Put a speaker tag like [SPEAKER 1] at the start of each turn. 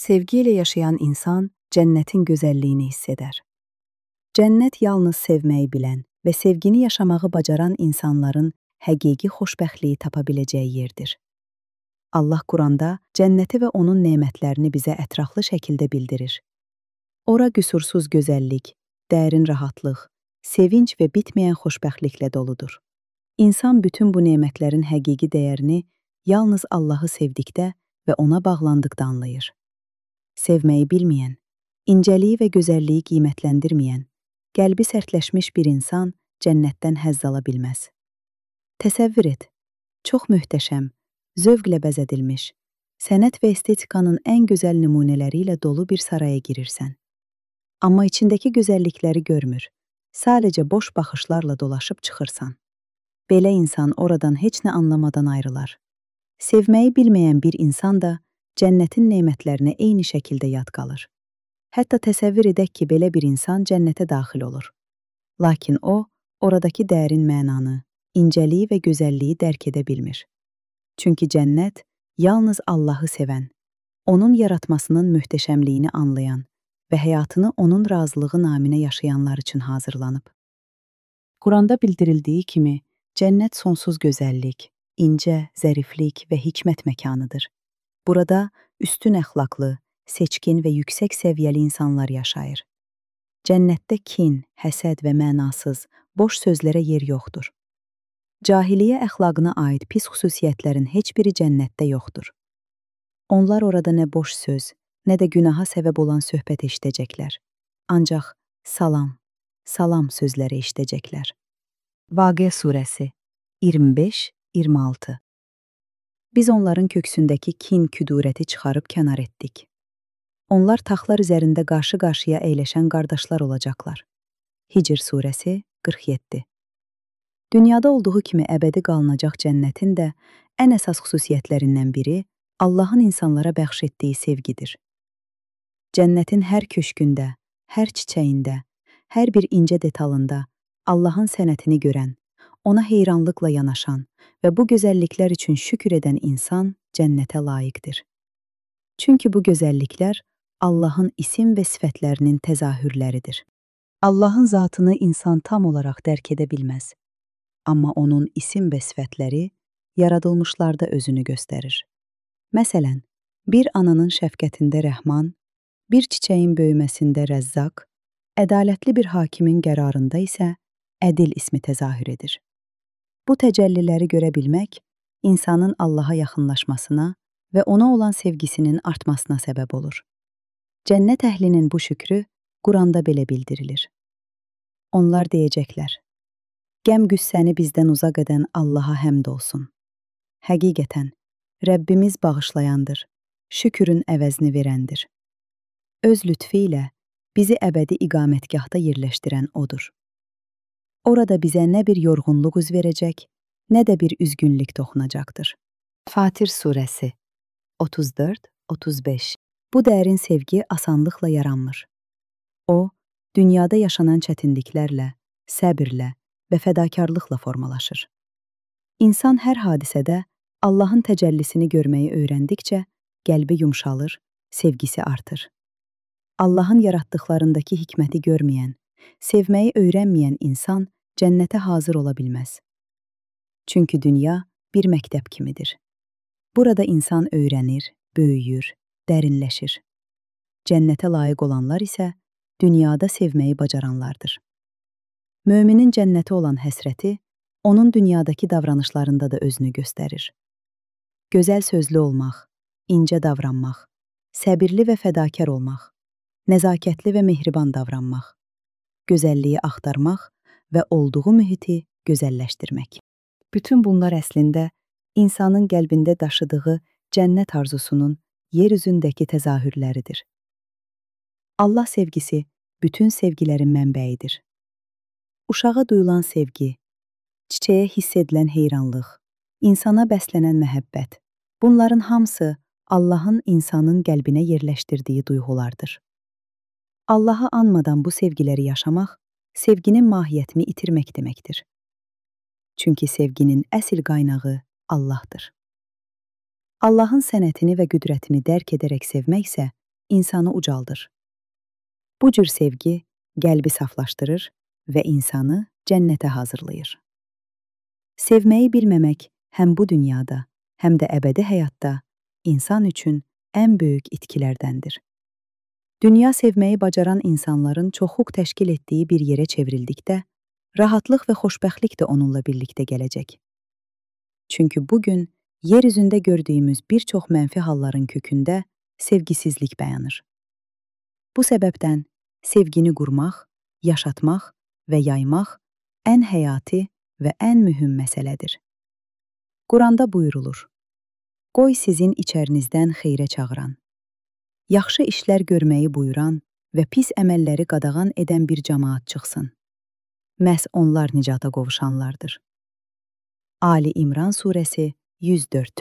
[SPEAKER 1] Sevgi ilə yaşayan insan cənnətin gözəlliyini hiss edər. Cənnət yalnız sevməyi bilən və sevgini yaşamağı bacaran insanların həqiqi xoşbəxtliyi tapa biləcəyi yerdir. Allah Quranda cənnəti və onun nemətlərini bizə ətraflı şəkildə bildirir. Ora qüsursuz gözəllik, dərin rahatlıq, sevinç və bitməyən xoşbəxtliklə doludur. İnsan bütün bu nemətlərin həqiqi dəyərini yalnız Allahı sevdikdə və ona bağlandıqda anlayır. Sevməyi bilməyən, incəliyi və gözəlliyi qiymətləndirməyən, qəlbi sərtləşmiş bir insan cənnətdən həzz ala bilməz. Təsəvvür et, çox möhtəşəm, zövqlə bəzədilmiş, sənət və estetikanın ən gözəl nümunələri ilə dolu bir saraya girirsən. Amma içindəki gözəllikləri görmür, sadəcə boş baxışlarla dolaşıb çıxırsan. Belə insan oradan heç nə anlamadan ayrılar. Sevməyi bilməyən bir insan da cənnətin nemətlərinə eyni şəkildə yad qalır. Hətta təsəvvür edək ki, belə bir insan cənnətə daxil olur. Lakin o, oradakı dərin mənanı, incəliyi və gözəlliyi dərk edə bilmir. Çünki cənnət yalnız Allahı sevən, onun yaratmasının möhtəşəmliyini anlayan və həyatını onun razılığı naminə yaşayanlar üçün hazırlanıb. Quranda bildirildiyi kimi, cənnət sonsuz gözəllik, incə, zəriflik və hikmət məkanıdır. Burada üstün əxlaqlı, seçkin və yüksək səviyyəli insanlar yaşayır. Cənnətdə kin, həsəd və mənasız, boş sözlərə yer yoxdur. Cahiliyyə əxlaqına aid pis xüsusiyyətlərin heç biri cənnətdə yoxdur. Onlar orada nə boş söz, nə də günaha səbəb olan söhbət eşidəcəklər. Ancaq salam, salam sözləri eşidəcəklər. Vaqia surəsi 25-26. Biz onların köksündəki kin, küdurəti çıxarıb kənar etdik. Onlar taxtlar üzərində qarşı-qarşıya əyləşən qardaşlar olacaqlar. Hicr surəsi 47. Dünyada olduğu kimi əbədi qalınacaq cənnətin də ən əsas xüsusiyyətlərindən biri Allahın insanlara bəxş etdiyi sevgidir. Cənnətin hər köşkündə, hər çiçəyində, hər bir incə detalında Allahın sənətini görən, ona heyranlıqla yanaşan və bu gözəlliklər üçün şükür edən insan cənnətə layiqdir. Çünki bu gözəlliklər Allahın isim və sifətlərinin təzahürləridir. Allahın zatını insan tam olaraq dərk edə bilməz. Amma onun isim və sifətləri yaradılmışlarda özünü göstərir. Məsələn, bir ananın şəfqətində Rəhman, bir çiçəyin böyüməsində Rəzzaq, ədalətli bir hakimin qərarında isə Ədil ismi təzahür edir. Bu təcəlliləri görə bilmək, insanın Allaha yaxınlaşmasına və ona olan sevgisinin artmasına səbəb olur. Cənnət əhlinin bu şükrü Quranda belə bildirilir. Onlar deyəcəklər, qəm-qüssəni bizdən uzaq edən Allaha həmd olsun. Həqiqətən, Rəbbimiz bağışlayandır, şükrün əvəzini verəndir. Öz lütfi ilə bizi əbədi iqamətgahda yerləşdirən odur. Orada bizə nə bir yorğunluq üz verəcək, nə də bir üzgünlük toxunacaqdır. Fatir surəsi 34-35. Bu dərin sevgi asanlıqla yaranmır. O, dünyada yaşanan çətinliklərlə, səbirlə və fədakarlıqla formalaşır. İnsan hər hadisədə Allahın təcəllisini görməyi öyrəndikcə qəlbi yumşalır, sevgisi artır. Allahın yaratdıqlarındakı hikməti görməyən, sevməyi öyrənməyən insan cənnətə hazır ola bilməz. Çünki dünya bir məktəb kimidir. Burada insan öyrənir, böyüyür, dərinləşir. Cənnətə layiq olanlar isə dünyada sevməyi bacaranlardır. Möminin cənnətə olan həsrəti, onun dünyadakı davranışlarında da özünü göstərir. Gözəl sözlü olmaq, incə davranmaq, səbirli və fədakar olmaq, nəzakətli və mehriban davranmaq, gözəlliyi axtarmaq və olduğu mühiti gözəlləşdirmək. Bütün bunlar əslində insanın qəlbində daşıdığı cənnət arzusunun yer üzündəki təzahürləridir. Allah sevgisi bütün sevgilərin mənbəyidir. Uşağa duyulan sevgi, çiçəyə hiss edilən heyranlıq, insana bəslənən məhəbbət, bunların hamısı Allahın insanın qəlbinə yerləşdirdiyi duyğulardır. Allahı anmadan bu sevgiləri yaşamaq, sevginin mahiyyətini itirmək deməkdir. Çünki sevginin əsl qaynağı Allahdır. Allahın sənətini və qüdrətini dərk edərək sevmək isə insanı ucaldır. Bu cür sevgi qəlbi saflaşdırır və insanı cənnətə hazırlayır. Sevməyi bilməmək həm bu dünyada, həm də əbədi həyatda insan üçün ən böyük itkilərdəndir. Dünya sevməyi bacaran insanların çoxluq təşkil etdiyi bir yerə çevrildikdə, rahatlıq və xoşbəxtlik də onunla birlikdə gələcək. Çünki bugün yer üzündə gördüyümüz bir çox mənfi halların kökündə sevgisizlik dayanır. Bu səbəbdən sevgini qurmaq, yaşatmaq və yaymaq ən həyati və ən mühüm məsələdir. Quranda buyurulur: "Qoy sizin içərinizdən xeyrə çağıran, yaxşı işlər görməyi buyuran və pis əməlləri qadağan edən bir cəmaat çıxsın. Məhz onlar nicata qovuşanlardır." Ali İmran surəsi 104.